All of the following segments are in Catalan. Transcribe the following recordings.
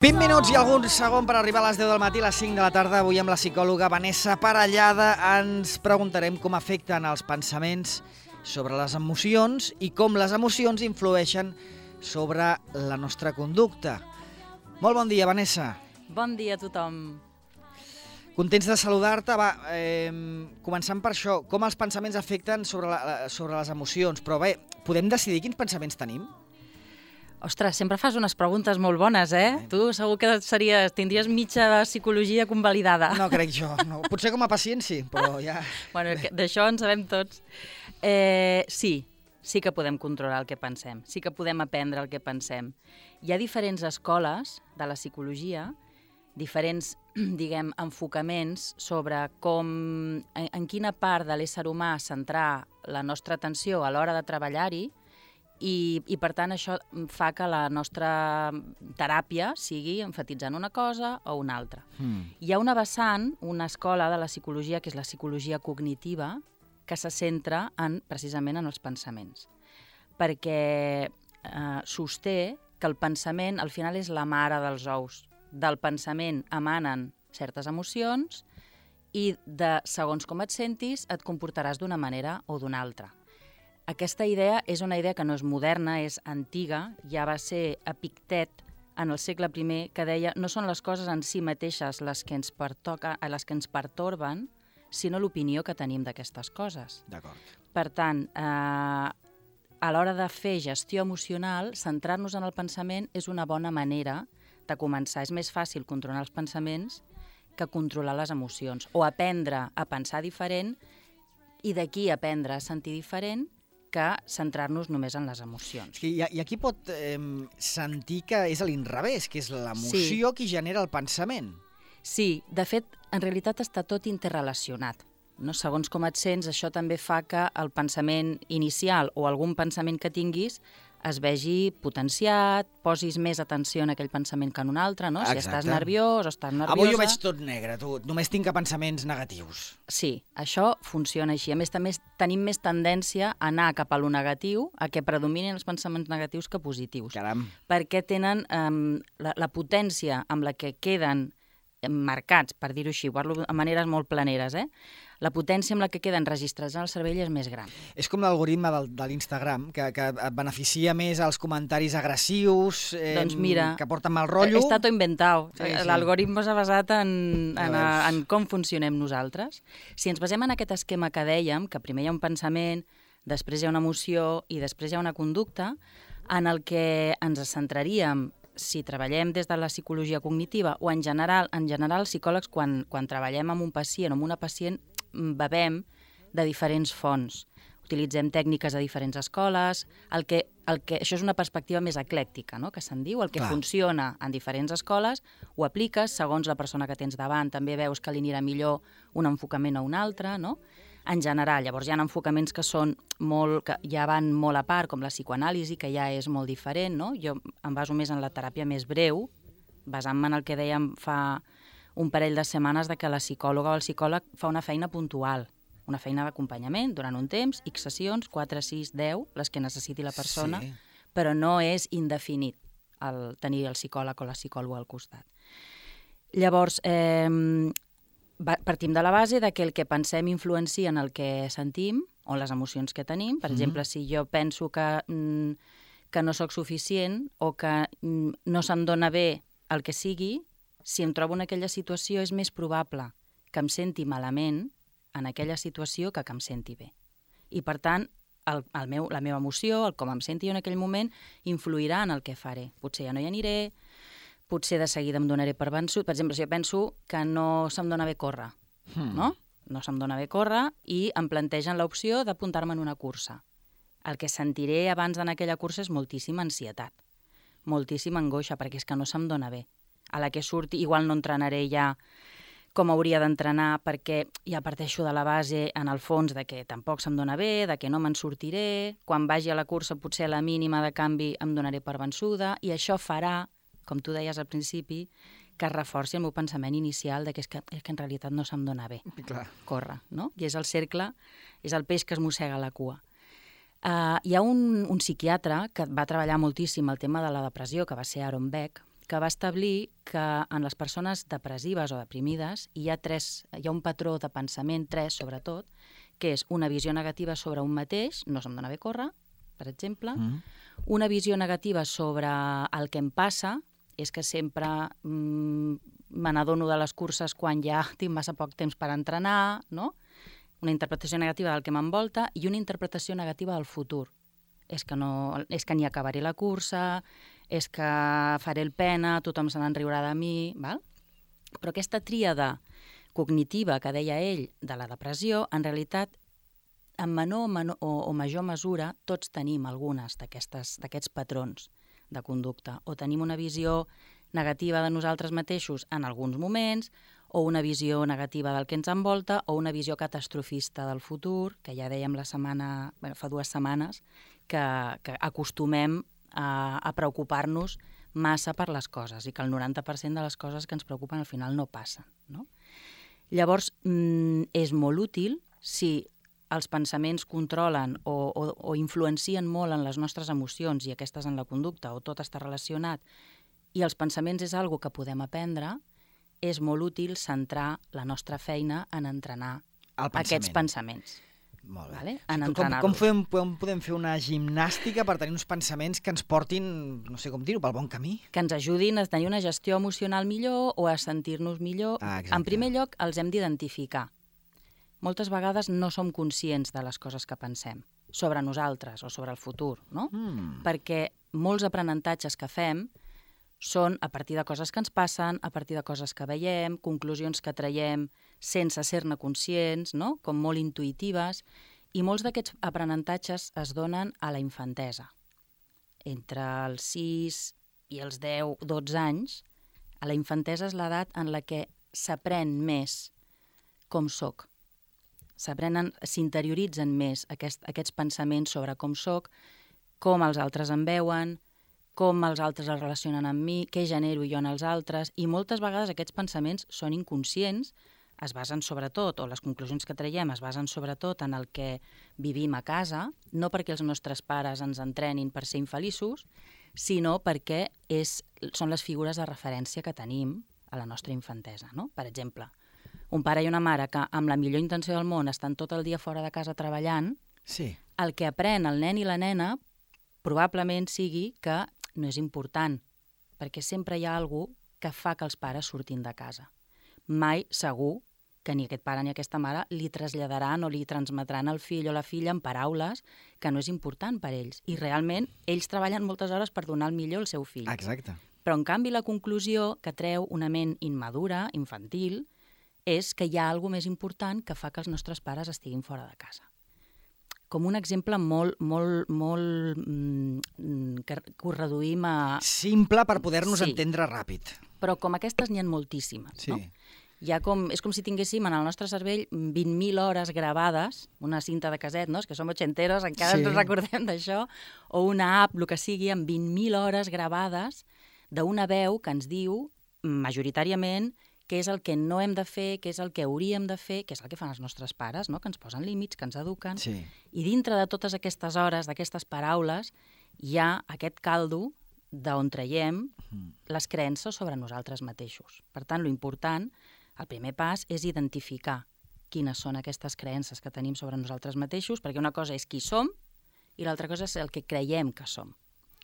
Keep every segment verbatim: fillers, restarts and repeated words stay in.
vint minuts i algun segon per arribar a les deu del matí, a les cinc de la tarda. Avui amb la psicòloga Vanessa Parellada ens preguntarem com afecten els pensaments sobre les emocions i com les emocions influeixen sobre la nostra conducta. Molt bon dia, Vanessa. Bon dia a tothom. Contents de saludar-te. Va, eh, començant per això, com els pensaments afecten sobre, la, sobre les emocions. Però bé, podem decidir quins pensaments tenim? Ostres, sempre fas unes preguntes molt bones, eh? Tu segur que series, tindries mitja psicologia convalidada. No crec jo. No. Potser com a pacient sí, però ja... Bueno, d'això en sabem tots. Eh, sí, sí que podem controlar el que pensem. Sí que podem aprendre el que pensem. Hi ha diferents escoles de la psicologia, diferents, diguem, enfocaments sobre com, en, en quina part de l'ésser humà centrar la nostra atenció a l'hora de treballar-hi. I, i per tant això fa que la nostra teràpia sigui enfatitzant una cosa o una altra. Mm. Hi ha una vessant, una escola de la psicologia, que és la psicologia cognitiva, que se centra en, precisament en els pensaments. Perquè eh, sosté que el pensament al final és la mare dels ous. Del pensament emanen certes emocions i de segons com et sentis et comportaràs d'una manera o d'una altra. Aquesta idea és una idea que no és moderna, és antiga, ja va ser Epictet en el segle primer, que deia no són les coses en si mateixes les que ens, pertoca, les que ens pertorben, sinó l'opinió que tenim d'aquestes coses. D'acord. Per tant, eh, a l'hora de fer gestió emocional, centrar-nos en el pensament és una bona manera de començar. És més fàcil controlar els pensaments que controlar les emocions, o aprendre a pensar diferent i d'aquí aprendre a sentir diferent que centrar-nos només en les emocions. Sí, i, i aquí pot eh, sentir que és a l'inrevés, que és l'emoció sí. qui genera el pensament. Sí, de fet, en realitat està tot interrelacionat. No? Segons com et sents, això també fa que el pensament inicial o algun pensament que tinguis es vegi potenciat, posis més atenció en aquell pensament que en un altre, no? Si estàs nerviós o estàs nerviosa... Avui ho veig tot negre, tu. Només tinc pensaments negatius. Sí, això funciona així. A més, també tenim més tendència a anar cap a lo negatiu, a que predominin els pensaments negatius que positius. Caram. Perquè tenen um, la, la potència amb la que queden marcats, per dir-ho així, parlo de maneres molt planeres, eh? La potència amb la que queden registrats en el cervell és més gran. És com l'algoritme de l'Instagram, que, que et beneficia més els comentaris agressius, eh, doncs mira, que porten mal rotllo. Està tot inventat. Sí, sí. L'algoritme s'ha basat en, en, en com funcionem nosaltres. Si ens basem en aquest esquema que dèiem, que primer hi ha un pensament, després hi ha una emoció i després hi ha una conducta, en el que ens centraríem si treballem des de la psicologia cognitiva o en general, en general els psicòlegs quan, quan treballem amb un pacient o amb una pacient bevem de diferents fonts. Utilitzem tècniques de diferents escoles, el que, el que, això és una perspectiva més eclèctica, no? Que se'n diu, el que Clar. funciona en diferents escoles ho apliques segons la persona que tens davant, també veus que li anirà millor un enfocament o un altre, no? En general, llavors hi ha enfocaments que són molt, que ja van molt a part, com la psicoanàlisi, que ja és molt diferent, no? Jo em baso més en la teràpia més breu, basant-me en el que dèiem fa un parell de setmanes de que la psicòloga o el psicòleg fa una feina puntual, una feina d'acompanyament durant un temps, X sessions, quatre, sis, deu, les que necessiti la persona, sí. Però no és indefinit el tenir el psicòleg o la psicòloga al costat. Llavors, eh, partim de la base de que el que pensem influencia en el que sentim o les emocions que tenim. Per mm-hmm. exemple, si jo penso que, mm, que no sóc suficient o que mm, no se'm dona bé el que sigui, si em trobo en aquella situació és més probable que em senti malament en aquella situació que que em senti bé. I per tant, el, el meu, la meva emoció, el com em senti en aquell moment, influirà en el que faré. Potser ja no hi aniré, potser de seguida em donaré per vençut. Per exemple, si jo penso que no se'm dona bé córrer, hmm. no? No se'm dona bé córrer i em plantegen l'opció d'apuntar-me en una cursa. El que sentiré abans d'anar a aquella cursa és moltíssima ansietat, moltíssima angoixa, perquè és que no se'm dona bé. A la que surti, igual no entrenaré ja com hauria d'entrenar, perquè ja parteixo de la base, en el fons, de que tampoc se'm dona bé, de que no me'n sortiré, quan vagi a la cursa potser a la mínima de canvi em donaré per vençuda, i això farà, com tu deies al principi, que es reforci el meu pensament inicial de que és que, és que en realitat no se'm dona bé Clar. córrer, no? I és el cercle, és el peix que es mossega la cua. Uh, hi ha un, un psiquiatre que va treballar moltíssim el tema de la depressió, que va ser Aaron Beck, que va establir que en les persones depressives o deprimides hi ha, tres, hi ha un patró de pensament, tres sobretot, que és una visió negativa sobre un mateix, no se'm dona bé córrer, per exemple, mm. una visió negativa sobre el que em passa, és que sempre mm, me n'adono de les curses quan ja tinc massa poc temps per entrenar, no? Una interpretació negativa del que m'envolta i una interpretació negativa del futur. És que, no, és que ni acabaré la cursa, és que faré el pena, tothom se n'enriurà de mi, val? Però aquesta tríada cognitiva que deia ell de la depressió, en realitat, en menor, menor o, o major mesura, tots tenim algunes d'aquests patrons de conducta. O tenim una visió negativa de nosaltres mateixos en alguns moments, o una visió negativa del que ens envolta, o una visió catastrofista del futur, que ja dèiem la setmana, bé, fa dues setmanes, que, que acostumem a, a preocupar-nos massa per les coses i que el noranta per cent de les coses que ens preocupen al final no passen, no? Llavors, mm, és molt útil si els pensaments controlen o, o, o influencien molt en les nostres emocions i aquestes en la conducta, o tot està relacionat, i els pensaments és algo que podem aprendre, és molt útil centrar la nostra feina en entrenar pensament. Aquests pensaments. Molt bé. Vale? En com, com, fem, com podem fer una gimnàstica per tenir uns pensaments que ens portin, no sé com dir-ho, pel bon camí? Que ens ajudin a tenir una gestió emocional millor o a sentir-nos millor. Ah, en primer lloc, els hem d'identificar. Moltes vegades no som conscients de les coses que pensem sobre nosaltres o sobre el futur, no? Mm. Perquè molts aprenentatges que fem són a partir de coses que ens passen, a partir de coses que veiem, conclusions que traiem sense ser-ne conscients, no? Com molt intuïtives, i molts d'aquests aprenentatges es donen a la infantesa. Entre els sis i els deu, dotze anys, a la infantesa és l'edat en la que s'aprèn més com soc. S'aprenen, s'interioritzen més aquest, aquests pensaments sobre com soc, com els altres em veuen, com els altres es relacionen amb mi, què genero jo en els altres, i moltes vegades aquests pensaments són inconscients, es basen sobretot, o les conclusions que traiem es basen sobretot en el que vivim a casa, no perquè els nostres pares ens entrenin per ser infeliços, sinó perquè és, són les figures de referència que tenim a la nostra infantesa, no? Per exemple, un pare i una mare que amb la millor intenció del món estan tot el dia fora de casa treballant, sí. El que aprèn el nen i la nena probablement sigui que no és important, perquè sempre hi ha algú que fa que els pares surtin de casa. Mai, segur, que ni aquest pare ni aquesta mare li traslladaran o li transmetran al fill o la filla en paraules que no és important per ells. I realment, ells treballen moltes hores per donar el millor al seu fill. Exacte. Però, en canvi, la conclusió que treu una ment immadura, infantil, és que hi ha alguna més important que fa que els nostres pares estiguin fora de casa. Com un exemple molt, molt, molt, mm, que, que ho reduïm a... Simple per poder-nos sí. entendre ràpid. Però com aquestes n'hi ha moltíssimes, sí. no? Hi ha com, és com si tinguéssim en el nostre cervell vint mil hores gravades, una cinta de caset, no? És que som ochenteros, encara sí. ens recordem d'això, o una app, el que sigui, amb vint mil hores gravades d'una veu que ens diu, majoritàriament, què és el que no hem de fer, què és el que hauríem de fer, què és el que fan els nostres pares, no? Que ens posen límits, que ens eduquen. Sí. I dintre de totes aquestes hores, d'aquestes paraules, hi ha aquest caldo d'on traiem les creences sobre nosaltres mateixos. Per tant, l'important, el primer pas, és identificar quines són aquestes creences que tenim sobre nosaltres mateixos, perquè una cosa és qui som i l'altra cosa és el que creiem que som,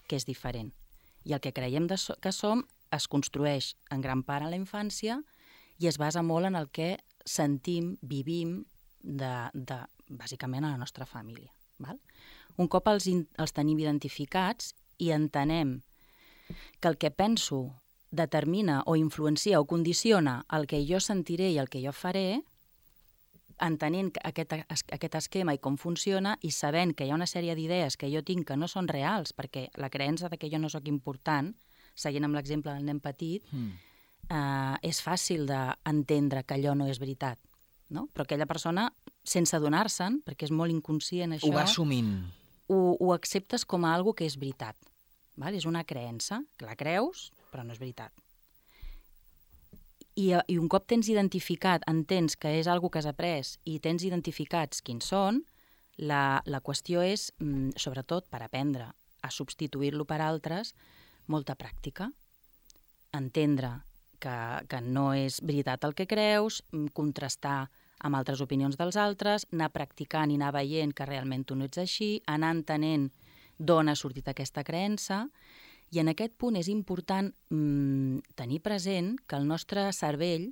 que és diferent. I el que creiem de so- que som es construeix en gran part a la infància i es basa molt en el que sentim, vivim, de, de, bàsicament a la nostra família. Val? Un cop els, in, els tenim identificats i entenem que el que penso determina o influencia o condiciona el que jo sentiré i el que jo faré, entenent aquest, aquest esquema i com funciona i sabent que hi ha una sèrie d'idees que jo tinc que no són reals, perquè la creença de que jo no sóc important, seguint amb l'exemple del nen petit, mm. eh, és fàcil d'entendre que allò no és veritat, no? Però aquella persona, sense adonar-se'n, perquè és molt inconscient això... Ho va assumint. Ho, ho acceptes com a algo que és veritat. Val? És una creença, que la creus, però no és veritat. I, I un cop tens identificat, entens que és algo que has après i tens identificats quins són, la, la qüestió és, sobretot per aprendre a substituir-lo per altres, molta pràctica. entendre que, que no és veritat el que creus, contrastar amb altres opinions dels altres, anar practicant i anar veient que realment tu no ets així, anar entenent d'on ha sortit aquesta creença, i en aquest punt és important mmm, tenir present que el nostre cervell,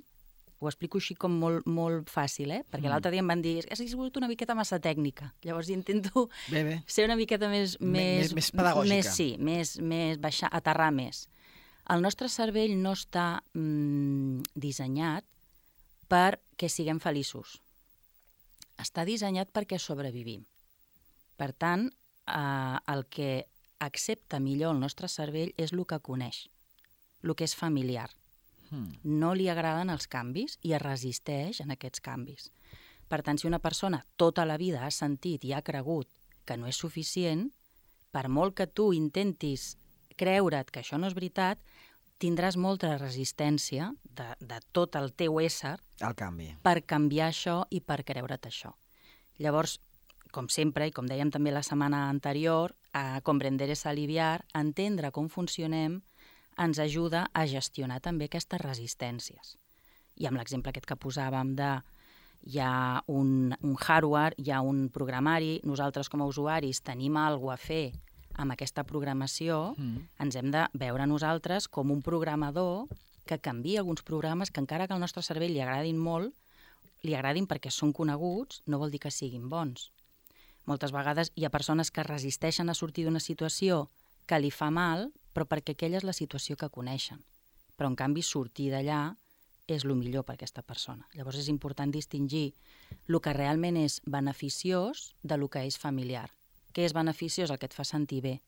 ho explico així com molt, molt fàcil, eh? Perquè mm. l'altre dia em van dir has sigut una miqueta massa tècnica, llavors intento bé, bé. ser una miqueta més... Més, més, més pedagògica. Més, sí, més, més baixar, aterrar més. El nostre cervell no està mmm, dissenyat perquè siguem feliços. Està dissenyat perquè sobrevivim. Per tant, eh, el que accepta millor el nostre cervell és el que coneix, el que és familiar. Hmm. No li agraden els canvis i es resisteix en aquests canvis. Per tant, si una persona tota la vida ha sentit i ha cregut que no és suficient, per molt que tu intentis creure't que això no és veritat, tindràs molta resistència de, de tot el teu ésser al canvi, per canviar això i per creure't això. Llavors, com sempre, i com dèiem també la setmana anterior, a comprender és aliviar, entendre com funcionem ens ajuda a gestionar també aquestes resistències. I amb l'exemple aquest que posàvem de hi ha un, un hardware, hi ha un programari, nosaltres com a usuaris tenim alguna cosa a fer amb aquesta programació, mm. ens hem de veure nosaltres com un programador que canvia alguns programes que encara que al nostre cervell li agradin molt, li agradin perquè són coneguts, no vol dir que siguin bons. Moltes vegades hi ha persones que resisteixen a sortir d'una situació que li fa mal, però perquè aquella és la situació que coneixen. Però, en canvi, sortir d'allà és el millor per aquesta persona. Llavors és important distingir el que realment és beneficiós de lo que és familiar. Què és beneficiós? El que et fa sentir bé.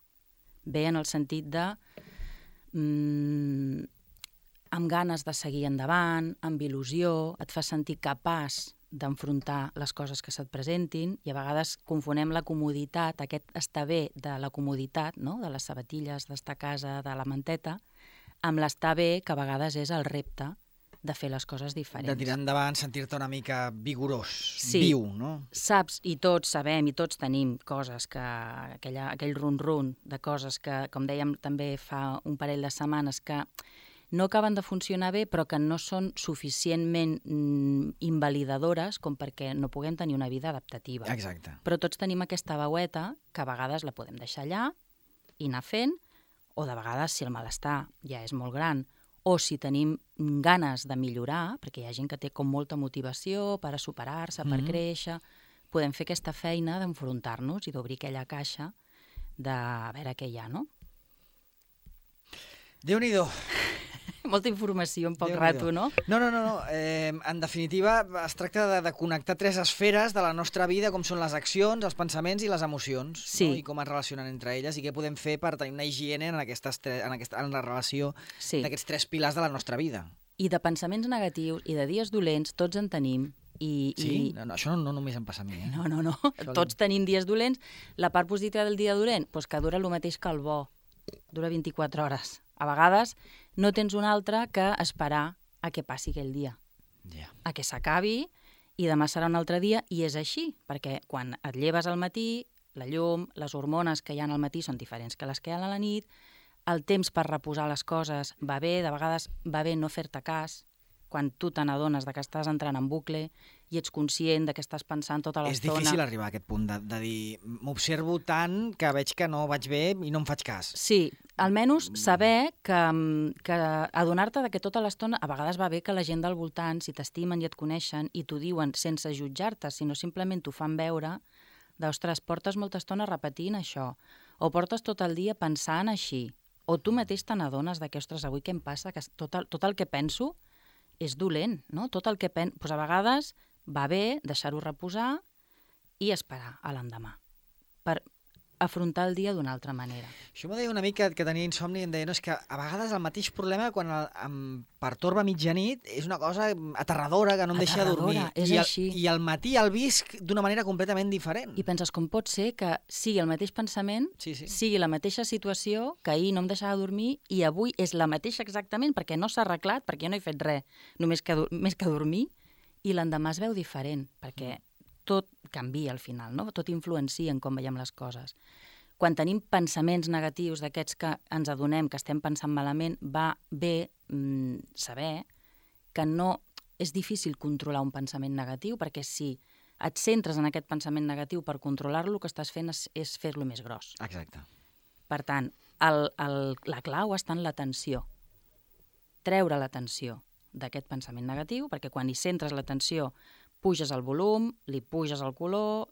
Bé en el sentit de mmm, amb ganes de seguir endavant, amb il·lusió, et fa sentir capaç d'enfrontar les coses que se't presentin, i a vegades confonem la comoditat, aquest estar bé de la comoditat, no? De les sabatilles, d'estar a casa, de la manteta, amb l'estar bé, que a vegades és el repte de fer les coses diferents. De tirar endavant, sentir-te una mica vigorós, sí, viu, no? Saps, i tots sabem, i tots tenim coses que, aquella, aquell run-run de coses que, com dèiem també fa un parell de setmanes, que no acaben de funcionar bé, però que no són suficientment mm, invalidadores com perquè no puguem tenir una vida adaptativa. Exacte. Però tots tenim aquesta veueta que a vegades la podem deixar allà i anar fent, o de vegades, si el malestar ja és molt gran, o si tenim ganes de millorar, perquè hi ha gent que té com molta motivació per a superar-se, per mm-hmm. créixer, podem fer aquesta feina d'enfrontar-nos i d'obrir aquella caixa de a veure què hi ha, no? Déu-n'hi-do. Molta informació en poc rato, no? No, no, no. no. Eh, en definitiva, es tracta de, de connectar tres esferes de la nostra vida, com són les accions, els pensaments i les emocions, sí. no? I com es relacionen entre elles, i què podem fer per tenir una higiene en, aquestes tres, en, aquesta, en la relació sí. d'aquests tres pilars de la nostra vida. I de pensaments negatius i de dies dolents tots en tenim. I, sí? I... No, no, això no, no només em passa a mi. Eh? No, no, no. Això tots li... tenim dies dolents. La part positiva del dia dolent, doncs que dura el mateix que el bo. Dura vint-i-quatre hores. A vegades no tens un altre que esperar a que passi aquell dia. Yeah. A que s'acabi i demà serà un altre dia, i és així, perquè quan et lleves al matí, la llum, les hormones que hi ha al matí són diferents que les que hi ha a la nit, el temps per reposar les coses va bé, de vegades va bé no fer-te cas, quan tu te n'adones que estàs entrant en bucle i ets conscient de que estàs pensant tota l'estona. És difícil arribar a aquest punt de, de dir m'observo tant que veig que no vaig bé i no em faig cas. Sí, almenys saber que, que adonar-te que tota l'estona, a vegades va bé que la gent del voltant, si t'estimen i et coneixen i t'ho diuen sense jutjar-te, sinó simplement t'ho fan veure, d'ostres, portes molta estona repetint això, o portes tot el dia pensant així, o tu mateix te n'adones que, ostres, avui què em passa, que tot el, tot el que penso és dolent, no? Tot el que pen... pues a vegades va bé deixar-ho reposar i esperar a l'endemà per afrontar el dia d'una altra manera. Això m'ho deia una mica que tenia insomni i em deia no, és que a vegades el mateix problema quan el, em pertorba a mitjanit és una cosa aterradora que no em deixa dormir. És I, així. el, I al matí el visc d'una manera completament diferent. I penses com pot ser que sigui el mateix pensament, sí, sí. sigui la mateixa situació, que ahir no em deixava dormir i avui és la mateixa exactament perquè no s'ha arreglat, perquè jo no he fet res, només que, més que dormir, i l'endemà es veu diferent, perquè tot canvia al final, no? Tot influencia en com veiem les coses. Quan tenim pensaments negatius d'aquests que ens adonem que estem pensant malament, va bé mm, saber que no és difícil controlar un pensament negatiu, perquè si et centres en aquest pensament negatiu per controlar-lo, el que estàs fent és, és fer-lo més gros. Exacte. Per tant, el, el, la clau està en l'atenció. Treure l'atenció d'aquest pensament negatiu, perquè quan hi centres l'atenció, puges el volum, li puges el color,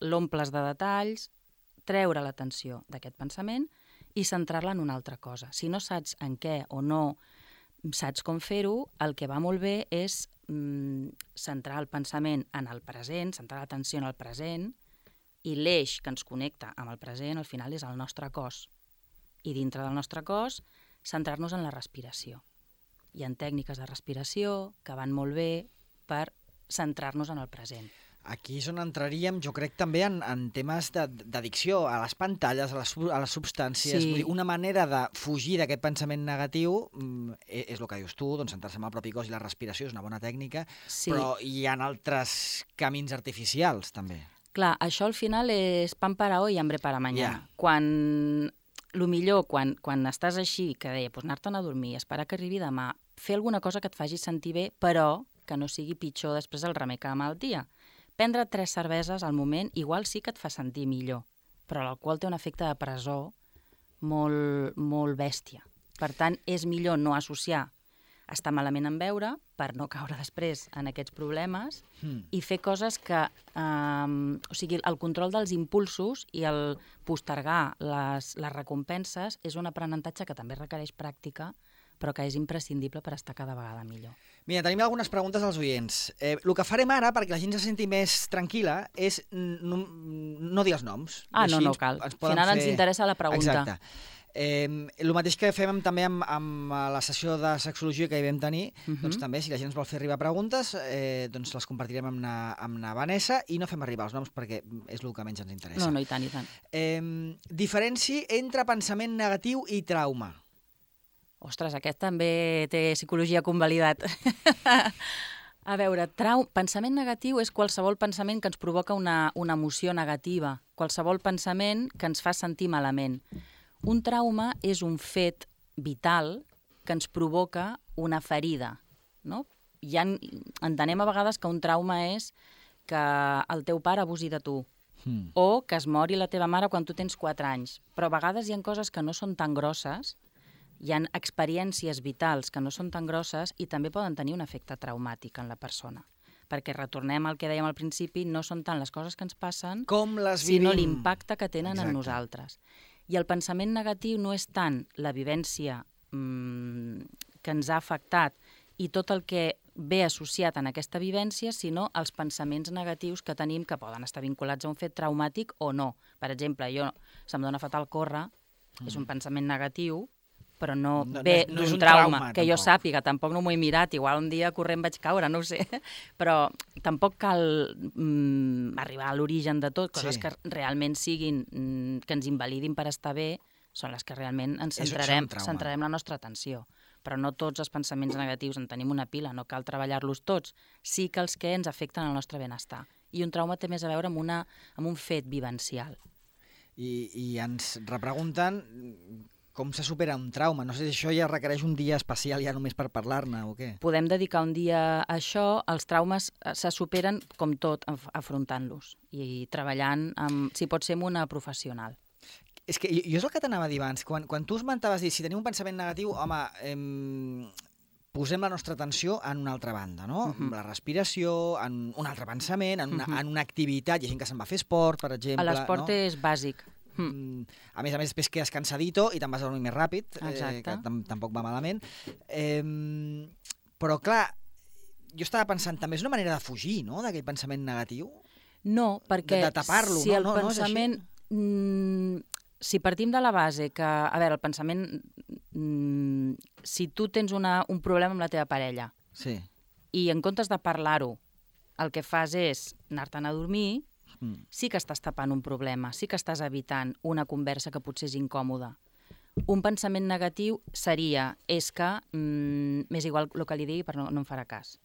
l'omples de detalls, treure l'atenció d'aquest pensament i centrar-la en una altra cosa. Si no saps en què o no saps com fer-ho, el que va molt bé és mm, centrar el pensament en el present, centrar l'atenció en el present, i l'eix que ens connecta amb el present al final és el nostre cos. I dintre del nostre cos, centrar-nos en la respiració. Hi ha tècniques de respiració que van molt bé per centrar-nos en el present. Aquí és on entraríem, jo crec, també en, en temes d'addicció a les pantalles, a les, a les substàncies. Sí. Vull dir, una manera de fugir d'aquest pensament negatiu mm, és el que dius tu, doncs centrar-se en el propi cos i la respiració és una bona tècnica, Sí. però hi ha altres camins artificials, també. Clar, això al final és pan para hoy y hambre para mañana. Ja. Quan, lo millor, quan, quan estàs així, que deia, doncs anar-te'n a dormir, esperar que arribi demà, fer alguna cosa que et faci sentir bé, però que no sigui pitjor després el remei que la malaltia. Prendre tres cerveses al moment igual sí que et fa sentir millor, però l'alcohol té un efecte de presó molt, molt bèstia. Per tant, és millor no associar estar malament en beure per no caure després en aquests problemes Mm. i fer coses que... Eh, o sigui, el control dels impulsos i el postergar les, les recompenses és un aprenentatge que també requereix pràctica, però que és imprescindible per estar cada vegada millor. Mira, tenim algunes preguntes als oients. Eh, el que farem ara, perquè la gent se senti més tranquil·la, és no, no dir els noms. Ah, Així no, no ens- cal. ens Al poden final fer- ens interessa la pregunta. Exacte. Eh, el mateix que fem amb, també amb, amb la sessió de sexologia que hi vam tenir, Uh -huh. doncs també, si la gent ens vol fer arribar preguntes, eh, doncs les compartirem amb na, amb na Vanessa i no fem arribar els noms perquè és el que menys ens interessa. No, no, i tant, i tant. Eh, diferenci entre pensament negatiu i trauma. Ostres, aquest també té psicologia convalidat. A veure, trau... pensament negatiu és qualsevol pensament que ens provoca una, una emoció negativa, qualsevol pensament que ens fa sentir malament. Un trauma és un fet vital que ens provoca una ferida, no? Hi ha, entenem a vegades que un trauma és que el teu pare abusi de tu, Hmm. o que es mori la teva mare quan tu tens quatre anys. Però a vegades hi ha coses que no són tan grosses, hi ha experiències vitals que no són tan grosses i també poden tenir un efecte traumàtic en la persona. Perquè retornem al que dèiem al principi, no són tant les coses que ens passen, Com les vivim. sinó l'impacte que tenen Exacte. en nosaltres. I el pensament negatiu no és tant la vivència mmm, que ens ha afectat i tot el que ve associat en aquesta vivència, sinó els pensaments negatius que tenim que poden estar vinculats a un fet traumàtic o no. Per exemple, jo se'm dona fatal córrer, mm. és un pensament negatiu, però no, No- no ve és- no és d'un un trauma, trauma, que jo tampoc. sàpiga, tampoc no m'ho he mirat, igual un dia corrent vaig caure, no ho sé, però tampoc cal mm, arribar a l'origen de tot, coses Sí. que realment siguin, mm, que ens invalidin per estar bé, són les que realment ens És- centrarem, són trauma. centrarem la nostra atenció. Però no tots els pensaments negatius en tenim una pila, no cal treballar-los tots, sí que els que ens afecten el nostre benestar. I un trauma té més a veure amb, una, amb un fet vivencial. I, I ens repregunten com se supera un trauma. No sé si això ja requereix un dia especial ja només per parlar-ne o què. Podem dedicar un dia a això. Els traumes eh, se superen, com tot, af- afrontant-los i treballant, amb, si pot ser, amb una professional. És que jo, jo és el que t'anava a dir abans. Quan, quan tu esmentaves dir, si tenim un pensament negatiu, home, em, posem la nostra atenció en una altra banda, no? Mhm. La respiració, en un altre pensament, en una, Mhm. en una activitat. Hi ha gent que se'n va a fer esport, per exemple. A l'esport no? és bàsic. Mm. Mm, A més a més, després quedes cansadito i te'n vas a dormir més ràpid, eh, Exacte. que tam tampoc va malament. Eh, però, clar, jo estava pensant, també és una manera de fugir, no?, d'aquell pensament negatiu. No, perquè De- de tapar-lo, si no? el No, no és així? pensament... Mm, si partim de la base que, a veure, el pensament... Mm, si tu tens una, un problema amb la teva parella Sí. i en comptes de parlar-ho, el que fas és anar-te'n a dormir, Mm. sí que estàs tapant un problema, sí que estàs evitant una conversa que potser és incòmoda. Un pensament negatiu seria, és que mm, m'és igual el que li digui, però no, no em farà cas.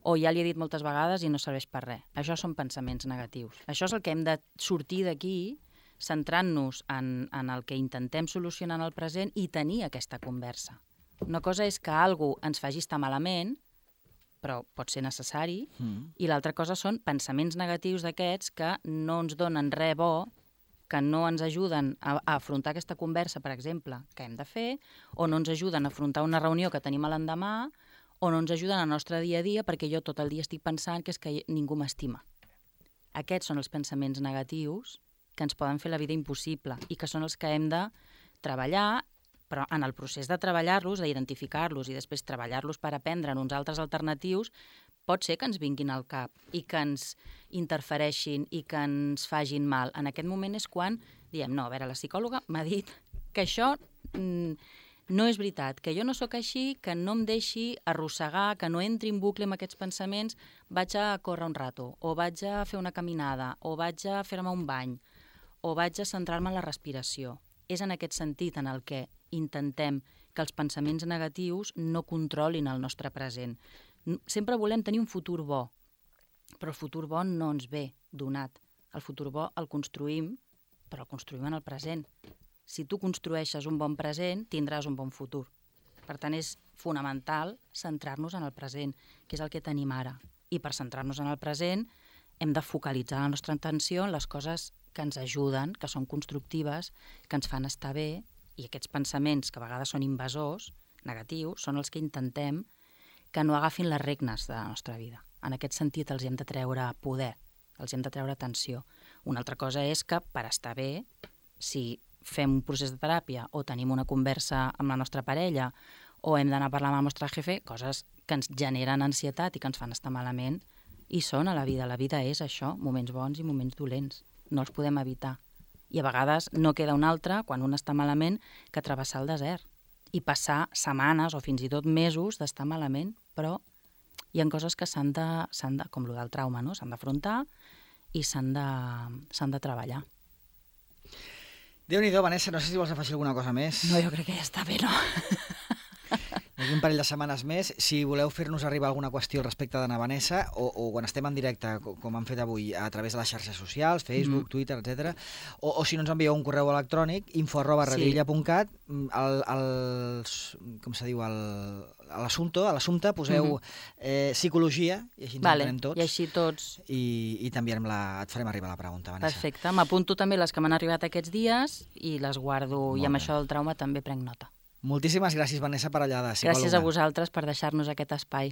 O ja li he dit moltes vegades i no serveix per res. Això són pensaments negatius. Això és el que hem de sortir d'aquí, centrant-nos en, en el que intentem solucionar en el present i tenir aquesta conversa. Una cosa és que algú ens faci estar malament, però pot ser necessari, mm. i l'altra cosa són pensaments negatius d'aquests que no ens donen res bo, que no ens ajuden a, a afrontar aquesta conversa, per exemple, que hem de fer, o no ens ajuden a afrontar una reunió que tenim a l'endemà, o no ens ajuden al nostre dia a dia perquè jo tot el dia estic pensant que és que ningú m'estima. Aquests són els pensaments negatius que ens poden fer la vida impossible i que són els que hem de treballar, però en el procés de treballar-los, d'identificar-los i després treballar-los per aprendre en uns altres alternatius, pot ser que ens vinguin al cap i que ens interfereixin i que ens fagin mal. En aquest moment és quan diem, no, a veure, la psicòloga m'ha dit que això mm, no és veritat, que jo no sóc així, que no em deixi arrossegar, que no entri en bucle amb aquests pensaments, vaig a córrer un rato, o vaig a fer una caminada, o vaig a fer-me un bany, o vaig a centrar-me en la respiració. És en aquest sentit en el que intentem que els pensaments negatius no controlin el nostre present. Sempre volem tenir un futur bo, però el futur bo no ens ve donat. El futur bo el construïm, però el construïm en el present. Si tu construeixes un bon present, tindràs un bon futur. Per tant, és fonamental centrar-nos en el present, que és el que tenim ara. I per centrar-nos en el present hem de focalitzar la nostra atenció en les coses que ens ajuden, que són constructives, que ens fan estar bé, i aquests pensaments, que a vegades són invasors, negatius, són els que intentem que no agafin les regnes de la nostra vida. En aquest sentit els hem de treure poder, els hem de treure atenció. Una altra cosa és que per estar bé, si fem un procés de teràpia o tenim una conversa amb la nostra parella o hem d'anar a parlar amb el nostre jefe, coses que ens generen ansietat i que ens fan estar malament, i són a la vida. La vida és això, moments bons i moments dolents. No els podem evitar. I a vegades no queda un altre, quan un està malament, que travessar el desert i passar setmanes o fins i tot mesos d'estar malament, però hi ha coses que s'han de, s'han de com el del trauma, no? S'han d'afrontar i s'han de, s'han de treballar. Déu-n'hi-do, Vanessa, no sé si vols afegir alguna cosa més. No, jo crec que ja està bé, no? Aquí un parell de setmanes més. Si voleu fer-nos arribar alguna qüestió al respecte d'Anna Vanessa, o, o quan estem en directe, com han fet avui, a través de les xarxes socials, Facebook, mm. Twitter, etcètera, o, o si no ens envieu un correu electrònic, info arroba redilla punt cat, al, al, com se diu, al, a l'assumpte, a l'assumpte poseu mm-hmm. eh, psicologia, i així ens vale, entenem tots. I així tots. I, i també la, et farem arribar la pregunta, Vanessa. Perfecte. M'apunto també les que m'han arribat aquests dies i les guardo. Molt I amb bé. Això del trauma també prenc nota. Moltíssimes gràcies, Vanessa Parellada, psicòloga. Gràcies a vosaltres per deixar-nos aquest espai.